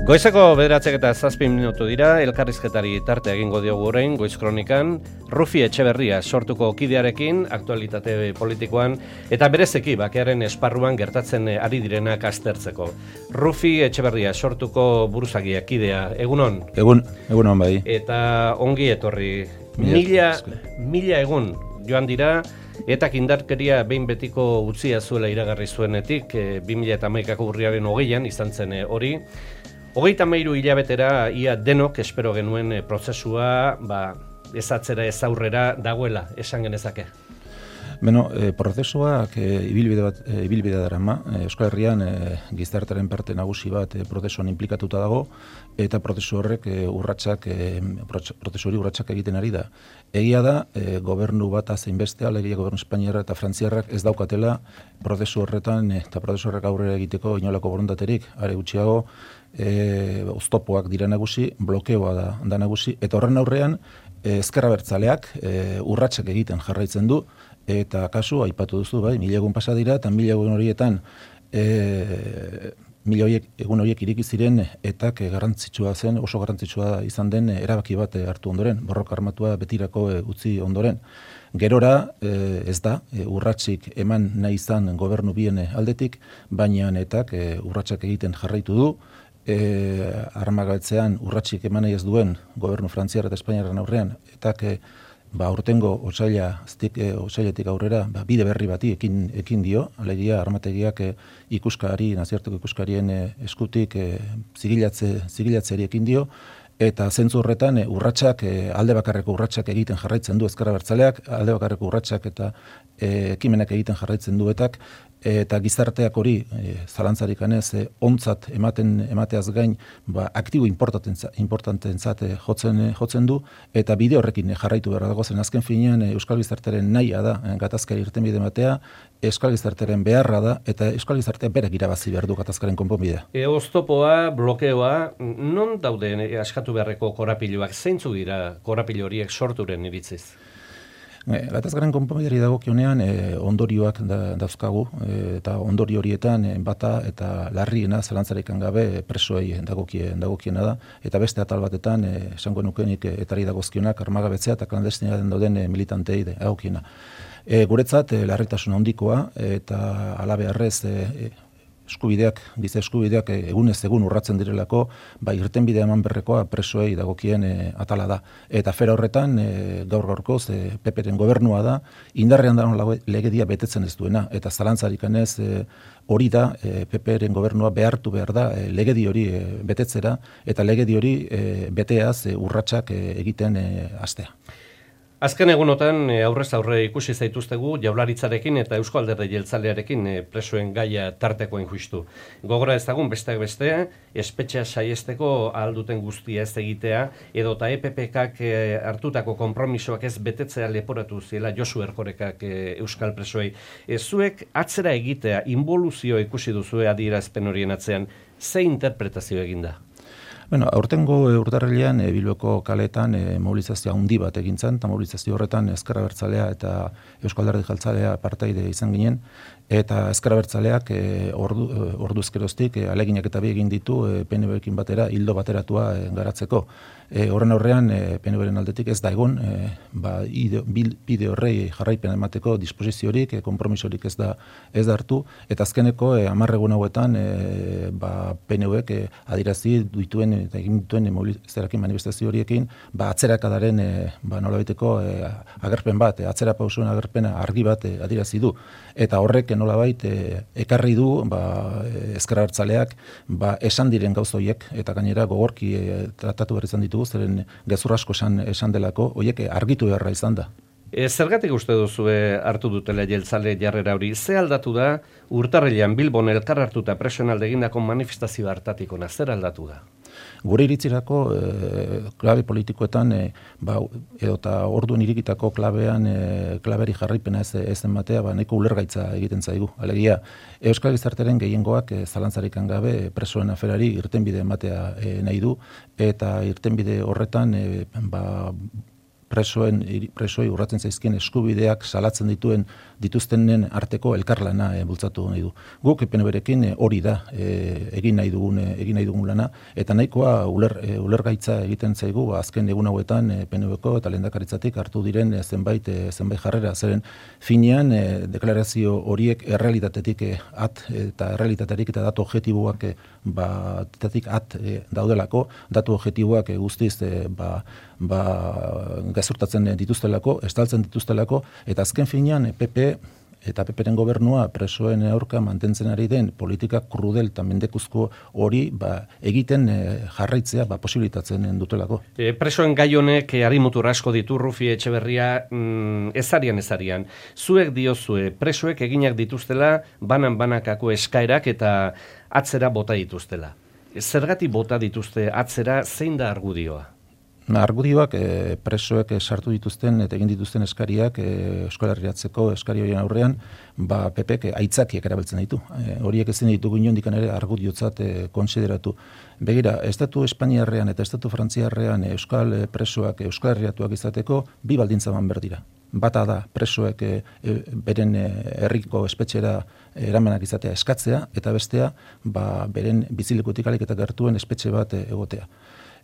Goizeko 9:07 minutu dira, elkarrizketari tarte egingo diogu orain Goiz Kronikan, Rufi Etxeberria sortuko kidearekin, aktualitate politikoan, eta berezeki bakearen esparruan gertatzen ari direnak aztertzeko. Rufi Etxeberria sortuko buruzagia kidea, egunon? Egunon bai. Eta ongi etorri, mila egun joan dira, eta indarkeria behin betiko utzia zuela iragarri zuenetik, 2011ko urriaren 20an izan zen hori. 33 hilabetera ia denok espero genuen prozesua ez atzera ez aurrera dagoela, esan genezake. Prozesuak ibilbide darama, Euskal Herrian gizartearen parte nagusi bat prozesuan inplikatuta dago, eta prozesu horrek prozesu hori urratsak egiten ari da. Egia da, gobernu bat zein beste, alegia gobernu espainiarra eta frantziarrak ez daukatela prozesu horretan eta prozesu horrek aurrera egiteko inolako borondaterik, are gutxiago oztopoak dira nagusi, blokeoa da nagusi, eta horren aurrean ezker abertzaleak urratsak egiten jarraitzen du, eta kasu aipatu duzu, bai, 1000 egun pasa dira, eta 1000 egun horietan 1000 egun horiek ireki ziren etak garrantzitsua zen, oso garrantzitsua izan den erabaki bat hartu ondoren, borroka armatua betirako utzi ondoren. Gerora ez da urratsik eman nahi izan gobernu bien aldetik, baina etak urratsak egiten jarraitu du, armagabetzean urratsik eman nahi ez duen gobernu frantziar eta espainiarren aurrean, etak aurtengo otsailetik aurrera bide berri bati ekin dio, alegia armategiak nazioarteko ikuskarien eskutik zigilatzeari ekin dio, eta zentzu horretan urratsak, alde bakarreko urratsak egiten jarraitzen du ezker abertzaleak, alde bakarreko urratsak eta ekimenak egiten jarraitzen duetak, eta gizarteak hori zalantzarik anez ontzat emateaz gain aktibo importantentzat jotzen du, eta bide horrekin jarraitu behar dago zen azken finean Euskal Gizartearen nahia da gatazkari irtenbide ematea, Euskal Gizartearen beharra da, eta Euskal Gizarteak berak irabazi behar du gatazkaren konponbidea. Oztopoa, blokeoa, non daude askatu beharreko korapiloak, zeintzu dira korapilo horiek sorturen iritziz? Gatazkaren konponbideari dagokionean ondorioak dauzkagu, eta ondorio horietan bata eta larriena zalantzarikan gabe presoei dagokiena da, eta beste atal batetan esango nukenik etari dagozkionak armagabetzea eta klandestinaten dauden militantei dagokiena. Guretzat larritasun handikoa eta halabeharrez giza eskubideak egunez egun urratzen direlako, irtenbidea eman berrekoa presoei dagokien atala da. Eta fera horretan, gaur-gaurkoz, PPren gobernua da, indarrean da legedia betetzen ez duena, eta zalantzarik anez hori da, PPren gobernua behartu behar da legedi hori betetzera, eta legedi hori beteaz urratsak egiten hastea. Azken egunotan aurrez aurre ikusi zaituztegu Jaurlaritzarekin eta Eusko Alderdi Jeltzalearekin presoen gaia tartekoen justu. Gogora ezagun besteak beste, espetxea saiesteko ahal duten guztia ez egitea, edota EPPkak hartutako konpromisoak ez betetzea leporatu ziela Josu Erkorekak euskal presoei. Zuek atzera egitea, involuzio ikusi duzue adierazpen horien atzean, ze interpretazio eginda? Aurtengo urtarrilean Bilboko kaletan mobilizazio handi bat egin zen, eta mobilizazio horretan Ezker Abertzalea eta Eusko Alderdi Jeltzalea partaide izan ginen, eta Ezker Abertzaleak orduz geroztik aleginak eta bi egin ditu PNV-ekin batera hildo bateratua garatzeko. Horren aurrean PNV-ren aldetik ez da egon, bide horrei jarraipen emateko disposiziorik, konpromisorik ez da hartu, eta azkeneko 10 egun hauetan PNV-ek adirazi dituen eta egin dituen mobilizazioekin manifestazio horiekin atzerakadaren nolabaiteko agerpen bat, atzera pausuen agerpena argi bat adirazi du, eta horrek nolabait ekarri du Ezker Abertzaleak esan diren gauza horiek, eta gainera gogorki tratatu behar izan ditugu, zeren gezur asko esan delako, horiek argitu beharra izan da. Zergatik uste duzue hartu dutela jeltzale jarrera hori? Ze aldatu da urtarrilean Bilbon elkar hartuta presoen alde egindako manifestazio hartatik ona, zer aldatu da? Gure iritzirako klabe politikoetan edota orduan irikitako klaberi jarraipena ez ematea nahiko ulergaitza egiten zaigu. Alegia, Euskal Gizartearen gehiengoak zalantzarikan gabe presoen aferari irtenbide ematea nahi du, eta irtenbide horretan presoi urratzen zaizkien eskubideak salatzen dituztenen arteko elkarlana bultzatu nahi du. Guk PNV-rekin hori da egin nahi dugun lana, eta nahikoa ulergaitza egiten zaigu azken egun hauetan PNV-ko eta lehendakaritzatik hartu diren zenbait jarrera, zeren finean deklarazio horiek errealitatetik eta errealitaterik eta datu objektiboak daudelako, datu objektiboak guztiz gezurtatzen dituztelako, estaltzen dituztelako, eta azken finean PP eta PPren gobernua presoen aurka mantentzen ari den politika krudel eta mendekuzko hori egiten jarraitzea posibilitatzen dutelako. Presoen gai honek harimutur asko ditu, Rufi Etxeberria, ezarian. Zuek diozue, presoek eginak dituztela banan-banakako eskaerak eta atzera bota dituztela. Zergatik bota dituzte atzera, zein da argudioa? Argudioak presoek sartu dituzten eta egin dituzten eskariak Euskal Herriatzeko eskari horien aurrean PPek aitzakiak erabiltzen ditu. Horiek ezin ditugu inondik ere argudiotzat konsideratu. Begira, Estatu Espainiarrean eta Estatu Frantziarrean Euskal presoak Euskal Herriatuak izateko bi baldintza behar dira. Bata da presoek beren herriko espetxera eramanak izatea eskatzea, eta bestea beren bizilekutik alik eta gertuen espetxe bat egotea.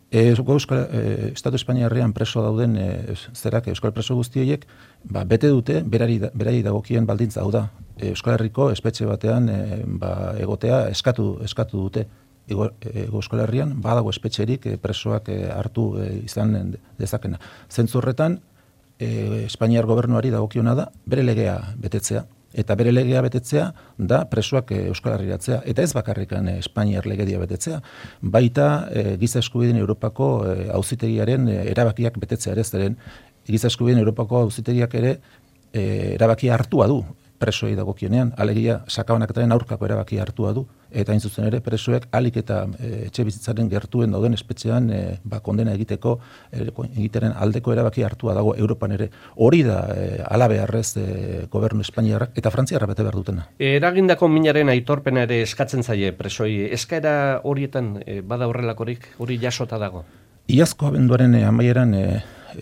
Estatu Espainiarrean preso dauden Euskal preso guztiek bete dute berari dagokien baldintza, hau da Euskal Herriko espetxe batean egotea eskatu dute. Euskal Herrian badago espetxerik presoak hartu izan dezakena. Zentzu horretan Espainiar gobernuari dagokiona da bere legea betetzea. Eta bere legea betetzea da presoak Euskal Herriratzea. Eta ez bakarrikan Espainiar legedia betetzea, baita Giza Eskubideen Europako auzitegiaren erabakiak betetzea ere, zeren Giza Eskubideen Europako auzitegiak ere erabakia hartua du presoei dagokienean, alegia sakabanaketaren aurkako erabakia hartua du, eta hain zuzen ere presoek alik eta etxe bizitzaren gertuen dauden espetxean kondena egiteren aldeko erabaki hartua dago Europan ere. Hori da alabeharrez gobernu Espainiarrak eta Frantziarra bete behar dutena. Eragindako minaren aitorpena ere eskatzen zaie presoi. Eskaera horietan bada horrelakorik, hori jasota dago? Iazko abenduaren amaieran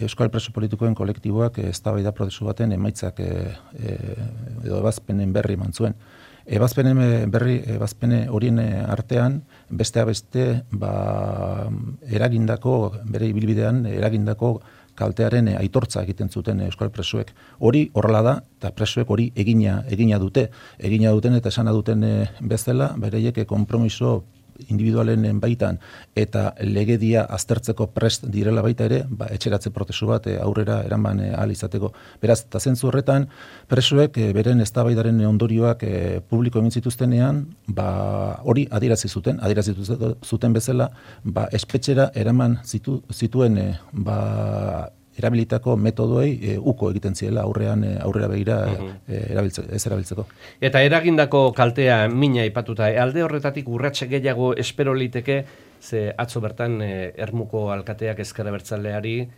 Euskal preso politikoen kolektiboak eztabaida prozesu baten emaitzak edo ebazpenen berri eman zuen. Ebazpene horien artean besteak beste bere ibilbidean eragindako kaltearen aitortza egiten zuten Euskal presoek. Hori horrela da, eta presoek hori egina duten eta esana duten bezala, bereiek konpromiso individualen baitan eta legedia aztertzeko prest direla baita ere, etxeratze prozesu bat aurrera eraman ahal izateko. Beraz, eta zentzu horretan, presoek beren eztabaidaren ondorioak publiko egin zituztenean, hori adierazi zuten bezala, espetxera eraman zituen erabilitako metodoei uko egiten ziela aurrera begira ez erabiltzeko. Eta eragindako kaltea mina aipatuta, alde horretatik urratse gehiago espero liteke, ze atzo bertan Ermuko alkateak Ezker Abertzaleari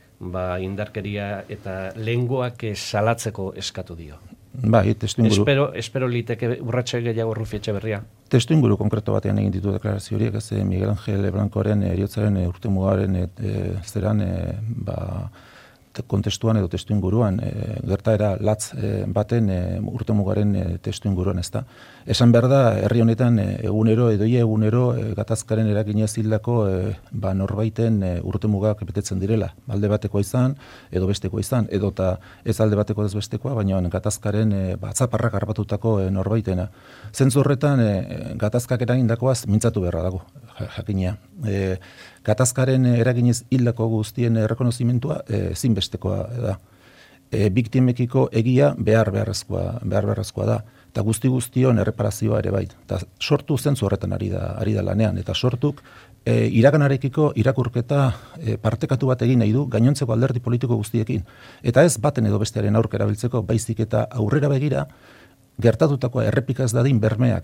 indarkeria eta lehengoak salatzeko eskatu dio. Testuinguru. Espero liteke urratse gehiago, Rufi Etxeberria. Testuinguru konkreto batean egin ditu deklarazio horiek, ez Miguel Ángel Blancoren heriotzaren urtemugaren zeran kontestuan edo testuinguruan, gertaera latz baten urtemugaren testuinguruan, ezta. Esan behar da, herri honetan egunero gatazkaren eraginez hildako norbaiten urtemugak betetzen direla. Alde batekoa izan, edo bestekoa izan, edo ez alde bateko ez bestekoa, baina gatazkaren atzaparrak harrapatutako norbaitena. Zentzu horretan, gatazkak eragindakoaz mintzatu beharra dago, jakina. Gatazkaren eraginez hildako guztien errekonozimentua ezinbestekoa da. Biktimekiko egia beharrezkoa da. Eta guztion erreparazioa ere bai. Eta sortu zentzu horretan ari da lanean. Eta sortuk iraganarekiko irakurketa partekatu bat egin nahi du gainontzeko alderdi politiko guztiekin. Eta ez baten edo bestearen aurka erabiltzeko, baizik eta aurrera begira gertatutakoa errepika ez dadin bermea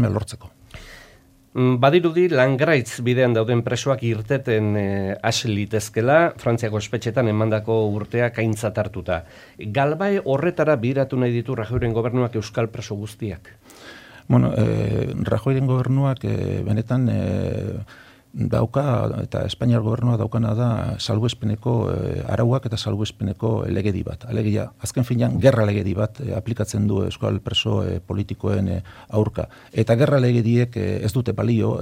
lortzeko. Badirudi Langraitz bidean dauden presoak irteten hasi litezkela, Frantziako espetxetan emandako urteak aintzat hartuta. Galbae horretara biratu nahi ditu Rajoyren gobernuak Euskal preso guztiak? Rajoyren gobernuak benetan dauka, eta Espainiar gobernua daukana da salbuespeneko arauak eta salbuespeneko legedi bat. Alegia, azken finean, gerra legedi bat aplikatzen du euskal preso politikoen aurka. Eta gerra legediek ez dute balio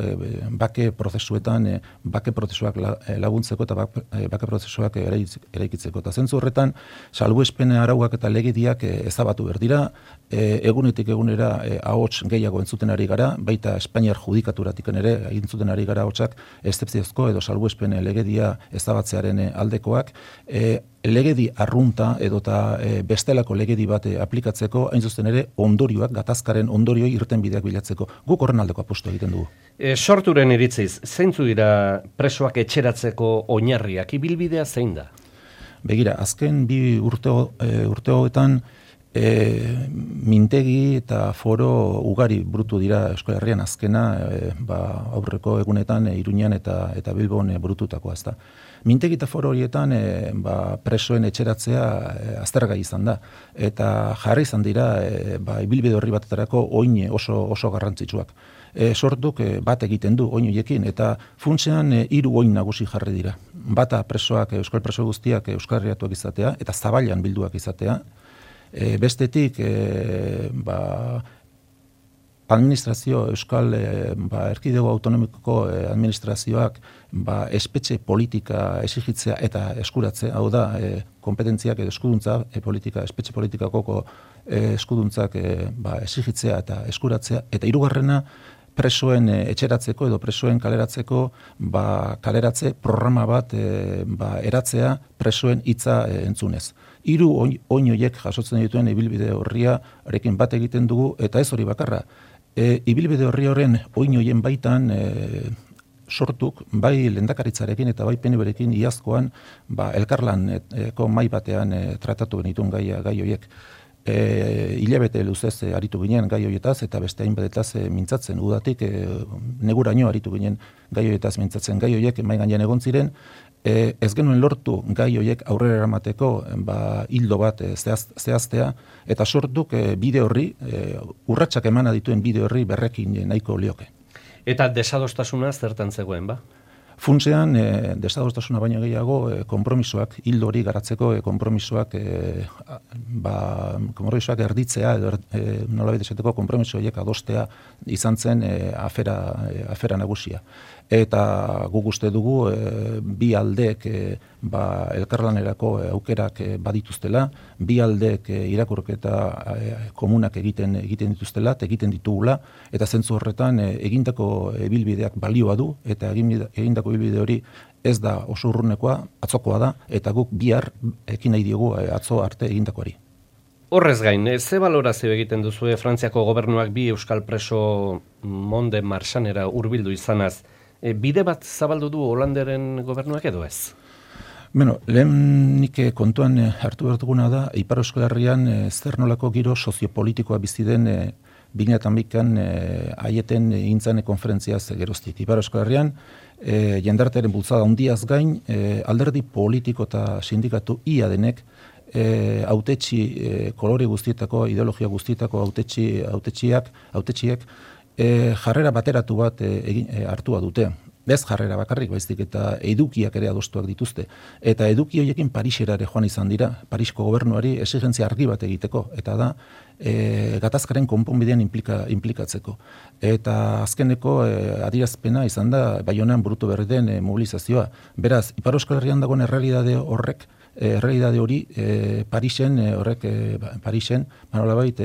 bake prozesuetan, bake prozesuak laguntzeko eta bake prozesuak eraikitzeko. Eta zentzu horretan, salbuespen arauak eta legediak ezabatu behar dira, egunetik egunera ahots gehiago entzuten ari gara, baita Espainiar judikaturatik ere entzuten ari gara ahotsak eszepziozko edo salbuespen legedia ezabatzearen aldekoak, legedi arrunta edota bestelako legedi bat aplikatzeko, hain zuzen ere ondorioak, gatazkaren ondorioi irtenbideak bilatzeko. Guk horren aldeko apustu egiten dugu. Sorturen iritziz, zeintzu dira presoak etxeratzeko oinarriak, ibilbidea zein da? Begira, azken bi urteoetan mintegi eta foro ugari burutu dira Euskal Herrian, azkena aurreko egunetan Iruñan eta Bilbon burututakoa, ezta. Mintegi eta foro horietan presoen etxeratzea aztergai izan da, eta jarri izan dira ibilbide horri batetarako oin oso garrantzitsuak. Sortuk bat egiten du oin horiekin, eta funtsean 3 oin nagusi jarri dira. Bata presoak, euskal preso guztiak euskarriatuak izatea, eta zabailan bilduak izatea. Bestetik, administrazio, euskal erkidego autonomikoko administrazioak espetxe politika exigitzea eta eskuratzea, hau da, kompetentziak edo eskuduntza, espetxe politikako eskuduntzak exigitzea eta eskuratzea, eta 3. presoen etxeratzeko edo presoen kaleratzeko kaleratze programa bat eratzea presoen hitza entzunez. 3 oin horiek jasotzen dituen ibilbide horriarekin bat egiten dugu, eta ez hori bakarra. Ibilbide horren oin horien baitan sortuk, bai lehendakaritzarekin eta bai PNV-rekin iazkoan elkarlaneko mahai batean tratatu genituen gai horiek. Hilabete luzez aritu ginen gai horietaz eta beste hainbatetaz mintzatzen, udatik neguraino aritu ginen gai horietaz mintzatzen. Gai horiek mahai gainean egon ziren, ez genuen lortu gai horiek aurrera eramateko hildo bat zehaztea, eta sortuk bide horri, urratsak emana dituen bide horri berrekin nahiko lioke. Eta desadostasuna zertan zegoen, ba? Funtsean, desadostasuna baino gehiago, konpromisoak, hildo hori garatzeko konpromisoak erditzea, edo nolabait esateko konpromiso horiek adostea izan zen afera nagusia. Eta guk uste dugu bi aldeek elkarlanerako aukerak badituztela, bi aldeek irakurketa komunak egiten dituztela, egiten ditugula, eta zentzu horretan egindako ibilbideak balioa du, eta egindako ibilbide hori ez da oso urrunekoa, atzokoa da, eta guk bihar ekin nahi diogu atzo arte egindakoari. Horrez gain, ze balorazio egiten duzu Frantziako gobernuak bi euskal preso Monde Marsanera hurbildu izanaz, bide bat zabaldu du Holanderen gobernuak edo ez? Lehenik kontuan hartu behar duguna da, Ipar Euskal Herrian zer nolako giro soziopolitikoa bizi den 2008an aieten egintzan konferentziaz geroztik. Ipar Euskal Herrian jendartearen bultzada handiaz gain, alderdi politiko eta sindikatu ia denek hautetsi kolore guztietako, ideologia guztietako hautetsiek jarrera bateratu bat hartua dute. Ez jarrera bakarrik baizik eta edukiak ere adostuak dituzte. Eta eduki horiekin Parisera ere joan izan dira, Parisko gobernuari exigentzia argi bat egiteko, eta da gatazkaren konponbidean implikatzeko. Eta azkeneko adierazpena izan da Baionan burutu berri den mobilizazioa. Beraz, Ipar Euskal Herrian dagoen errealitate hori Parisen nolabait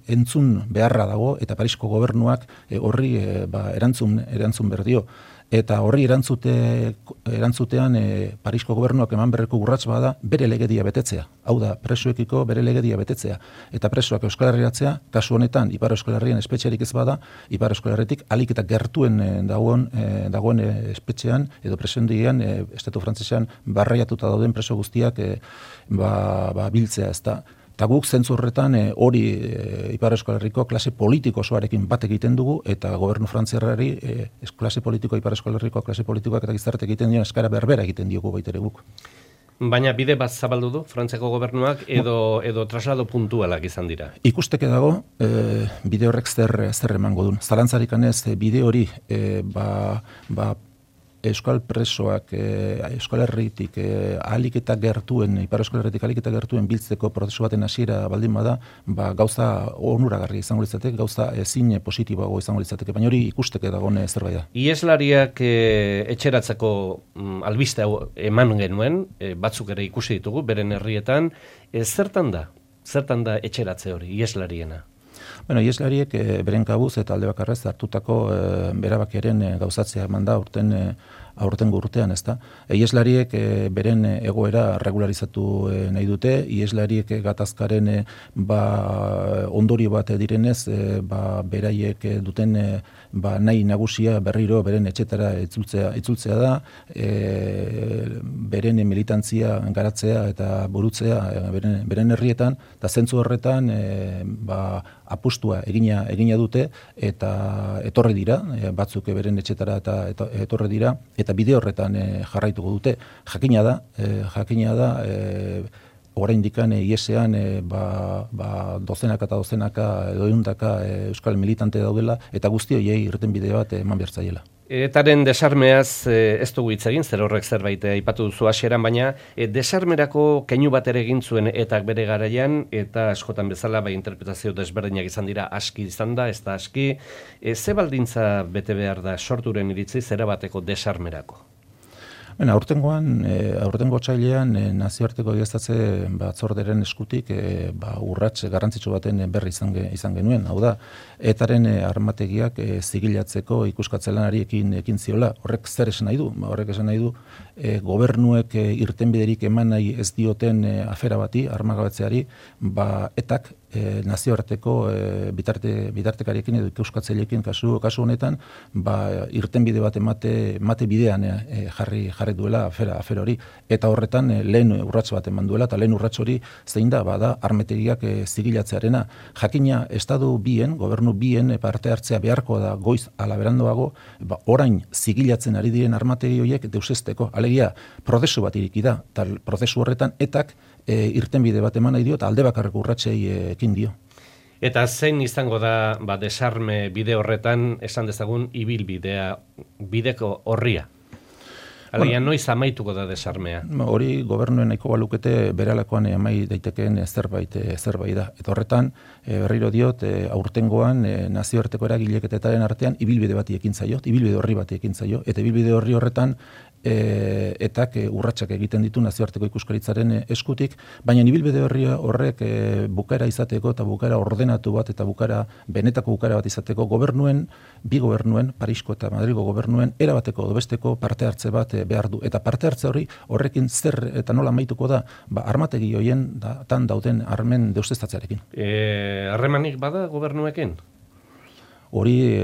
entzun beharra dago, eta Parisko gobernuak horri erantzun behar dio. Eta horri erantzutean Parisko gobernuak eman berreko urrats bada bere legedia betetzea. Hau da, presoekiko bere legedia betetzea. Eta presoak Euskal Herriatzea, kasu honetan, Ipar Euskal Herrian espetxerik ez bada, Ipar Euskal Herritik alik eta gertuen dagoen espetxean, edo presendian, estatu frantzesean barraiatuta dauden preso guztiak biltzea ez da. Eta guk zentzu horretan hori Ipar Euskal Herriko klase politiko osoarekin bat egiten dugu, eta gobernu frantziarrari klase politiko, Ipar Euskal Herriko klase politikoak eta gizarte egiten dion eskara berbera egiten diogu baitere guk. Baina bide bat zabaldu du Frantziako gobernuak edo traslado puntualak izan dira? Ikusteke dago, bide horrek zer emango duen. Zalantzarik anez, bide hori Euskal presoak Euskal Herritik ahalik eta gertuen, Ipar Euskal Herritik ahalik eta gertuen biltzeko prozesu baten hasiera baldin bada, gauza onuragarria izango litzateke, gauza ezin positiboago izango litzateke, baina hori ikusteke dagoen zerbait da. Ieslariak etxeratzeko albiste hau eman genuen, batzuk ere ikusi ditugu, beren herrietan, zertan da etxeratze hori, ieslariena? Bueno, ieslariek beren kabuz eta alde bakarrez hartutako berabakiaren gauzatzea eman da aurtengo urtean, ezta? Ieslariek beren egoera regularizatu nahi dute, ieslariek gatazkaren ondorio bat direnez, beraiek duten nahi nagusia berriro beren etxetara itzultzea da, beren militantzia garatzea eta burutzea beren herrietan, eta zentzu horretan apustua egina dute eta etorri dira, batzuk beren etxetara eta etorri dira, eta bide horretan jarraituko dute. Jakina da oraindikan iesean dozenaka eta dozenaka edo ehundaka euskal militante daudela, eta guzti horiei irtenbide bat eman behar zaiela. Etaren desarmeaz ez dugu hitz egin, zer horrek zerbait aipatu duzu hasieran, baina desarmerako keinu bat ere egin zuen etak bere garaian, eta askotan bezala interpretazio desberdinak izan dira, aski izan da, ez da aski. Ze baldintza bete behar da sorturen iritzi zera bateko desarmerako? Aurtengo otsailean nazioarteko egiaztatze batzorderen eskutik urrats garrantzitsu baten berri izan genuen. Hau da, etaren armategiak zigilatzeko ikuskatzelanari ekin ziola. Horrek zer esan nahi du? Horrek esan nahi du gobernuek irtenbiderik eman nahi ez dioten afera bati, armagabetzeari, etak nazioarteko bitartekariekin edo ikuskatzaileekin kasu honetan irtenbide bat emate bidean jarri duela afera hori, eta horretan lehen urrats bat eman duela, eta lehen urrats hori zein da, armetegiak zigilatzearena. Jakina gobernu bien parte hartzea beharko da goiz ala berandoago, orain zigilatzen ari diren armategi horiek deusesteko, alegia prozesu bat iriki da, eta prozesu horretan etak irtenbide bat eman nahi dio, eta alde bakarreko urratsei ekin dio. Eta zein izango da desarme bide horretan, esan dezagun, bideko horria? Alegia, noiz amaituko da desarmea? Hori gobernuen nahiko balukete beralakoan amai daitekeen zerbait da. Eta horretan, berriro diot, aurtengoan nazioarteko eragileketaren artean ibilbide bati ekin zaio, ibilbide horri bati ekin zaio, eta ibilbide horri horretan etak urratsak egiten ditu nazioarteko ikuskaritzaren eskutik, baina ibilbide horrek bukaera izateko eta bukaera ordenatu bat eta benetako bukaera bat izateko bi gobernuen, Parisko eta Madrilgo gobernuen, erabateko edo besteko parte hartze bat behar du. Eta parte hartze horrekin zer eta nola amaituko da, armategi horien tan dauden armen deuseztatzearekin. Harremanik bada gobernuekin? Hori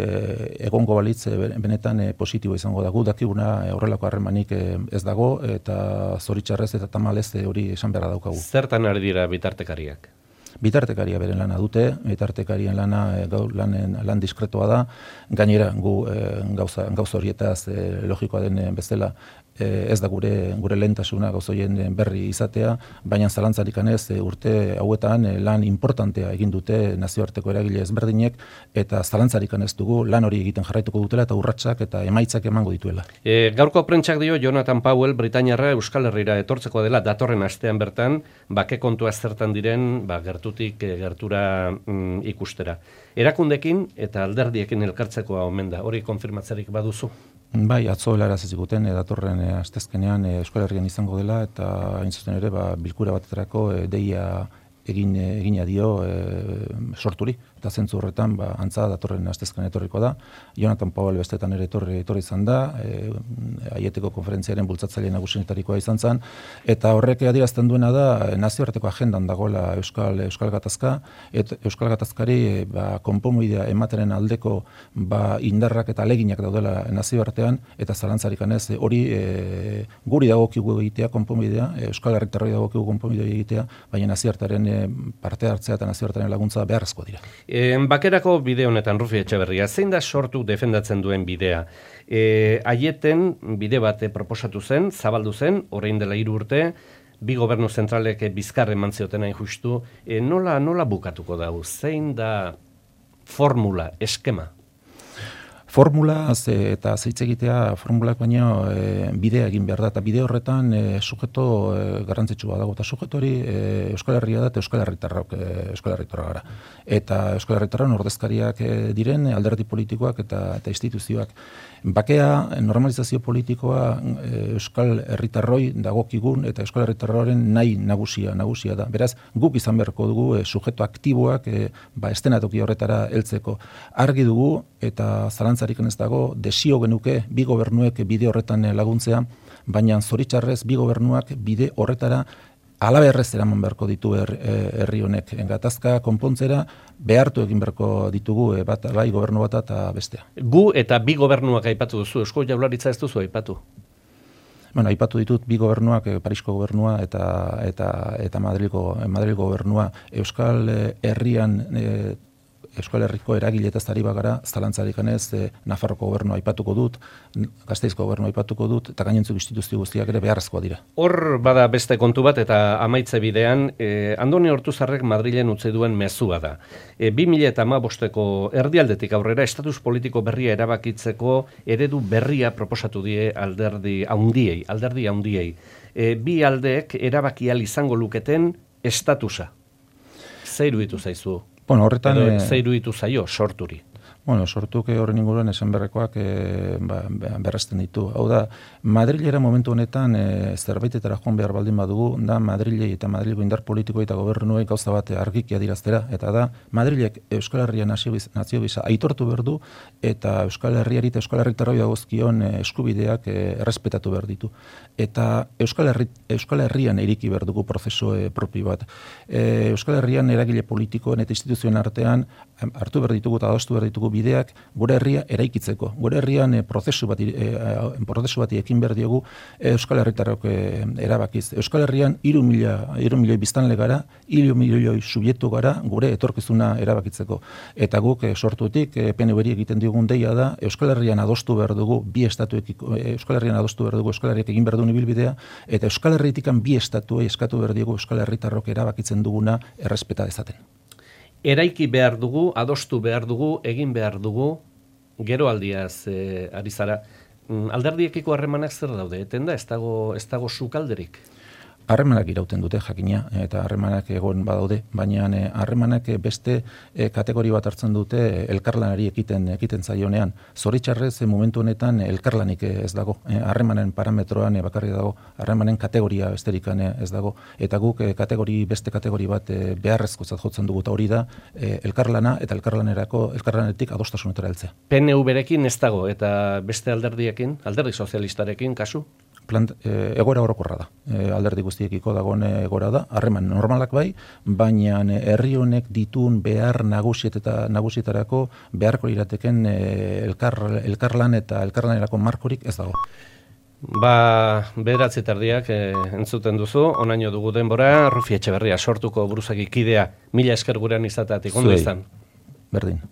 egongo balitz benetan positibo izango dago, dakiguna horrelako harremanik ez dago, eta zoritxarrez eta tamalez hori esan beharra daukagu. Zertan ari dira bitartekariak? Bitartekaria beren lana dute, bitartekarien lan diskretoa da, gainera gu gauza horietaz logikoa den bezala ez da gure lehentasuna gauzoien berri izatea, baina zalantzarik anez urte hauetan lan importantea egin dute nazioarteko eragile ezberdinek, eta zalantzarik anez dugu lan hori egiten jarraituko dutela eta urratsak eta emaitzak emango dituela. Gaurko prentsak dio Jonathan Powell Britainiarra Euskal Herrira etortzeko dela datorren astean bertan, bake kontua zertan diren gertutik gertura ikustera. Erakundekin eta alderdiekin elkartzekoa omen da, hori konfirmatzerik baduzu? Bai, atzo helaraz ziguten datorren astezkenean Euskal Herrian izango dela, eta hain zuzen ere bilkura batetarako deia egina dio sorturi, eta zentzu horretan antza datorren astezkenean etorriko da. Jonathan Powell bestetan ere etorri izan da, aieteko konferentziaren bultzatzaile nagusienetarikoa izan zen, eta horrek adierazten duena da nazioarteko agendan dagoela Euskal Gatazka, eta Euskal Gatazkari konponbidea emateren aldeko indarrak eta aleginak daudela nazioartean, eta zalantzarik anez hori guri dagokigu egitea konponbidea, Euskal Herritarroi dagokigu konponbidea egitea, baina nazioartearen parte hartzea eta nazioartearen laguntza beharrezko dira. Bakerako bide honetan, Rufi Etxeberria, zein da sortu defendatzen duen bidea? Aieten bide bat proposatu zen, zabaldu zen, orain dela 3 urte, bi gobernu zentralek bizkar eman zioten hain justu, nola bukatuko dau? Zein da formula, eskema? Formula eta zeitz egitea formulak baino bidea egin behar da, eta bide horretan sujeto garrantzitsua dago, eta sujeto hori Euskal Herria da eta Euskal Herritarra gara. Eta Euskal Herritarren ordezkariak diren alderdi politikoak eta instituzioak. Bakea, normalizazio politikoa Euskal Herritarroi dagokigun eta Euskal Herritarroren nahi nagusia da. Beraz, guk izan beharko dugu sujeto aktiboak estenatoki horretara heltzeko. Argi dugu eta zalantzarik ez dago, desio genuke bi gobernuek bide horretan laguntzea, baina zoritxarrez bi gobernuak bide horretara alaberrez eraman beharko ditu herri honek. Gatazka konpontzera behartu egin beharko ditugu bai gobernu bata eta bestea. Gu eta bi gobernuak aipatu duzu, Eusko Jaurlaritza ez duzu aipatu? Bueno, aipatu ditut bi gobernuak, Parisko gobernua eta Madrilgo gobernua. Euskal Herriko eragiletaz ari bagara, zalantzarik ganez, Nafarroko gobernua aipatuko dut, Gasteizko gobernua aipatuko dut, eta gainontzuk instituzio guztiak ere beharrezkoa dira. Hor bada beste kontu bat, eta amaitze bidean, Andoni Ortuzarrek Madrilen utzi duen mezua da. 2015ko erdialdetik aurrera, estatus politiko berria erabakitzeko eredu berria proposatu die alderdi haundiei. Bi aldeek erabaki ahal izango luketen estatusa. Zer iruditu zaizu? Bueno, horretan zer iruditu zaio sorturi? Bueno, sortuk horren inguruan esan berrekoak berresten ditu. Hau da, Madrilera momentu honetan zerbaitetara joan behar baldin badugu, da Madrilei eta Madrilgo indar politiko eta gobernuei gauza bat argiki adiraztera, eta da Madrilek Euskal Herria nazio bisa aitortu behar du, eta Euskal Herriari eta Euskal Herritarroi dagozkion eskubideak errespetatu behar ditu. Eta Euskal Herrian iriki behar dugu prozesu propio bat. Euskal Herrian eragile politikoen eta instituzioen artean hartu behar ditugu eta adostu behar ditugu bideak gure herria eraikitzeko. Gure herrian prozesu bati ekin behar diogu Euskal Herritarrok erabakiz. Euskal Herrian 3.000 biztanle gara, 3.000 subjektu gara gure etorkizuna erabakitzeko. Eta guk sortutik PNV-ri egiten diogun deia da Euskal Herrian adostu behar dugu Euskal Herriak egin behar duen ibilbidea, eta Euskal Herritikan bi estatuei eskatu behar diogu Euskal Herritarrok erabakitzen duguna errespeta dezaten. Eraiki behar dugu, adostu behar dugu, egin behar dugu, gero aldiaz ari zara. Alderdiekiko harremanak zer daude? Eten da, ez dago sukalderik? Harremanak irauten dute jakina, eta harremanak egon badaude, baina harremanak beste kategori bat hartzen dute elkarlanari ekiten zaionean. Zoritxarrez, momentu honetan elkarlanik ez dago. Harremanen parametroan bakarrik dago, harremanen kategoria besterikan ez dago. Eta guk beste kategori bat beharrezkotzat jotzen dugu, eta hori da elkarlana eta elkarlanetik adostasunetara heltzea. PNV-rekin ez dago, eta beste alderdiekin, alderdi sozialistarekin, kasu? Egoera orokorra da. Alderdi guztiekiko dagoen egoera da, harreman normalak bai, baina herri honek ditun behar nagusietarako beharko irateken elkarlan eta elkarlanerako markorik ez dago. Bederatzi tardiak entzuten duzu, onaino dugu denbora, Rufi Etxeberria sortuko buruzagi kidea, mila esker gurean izateatik, ondo izan. Berdin.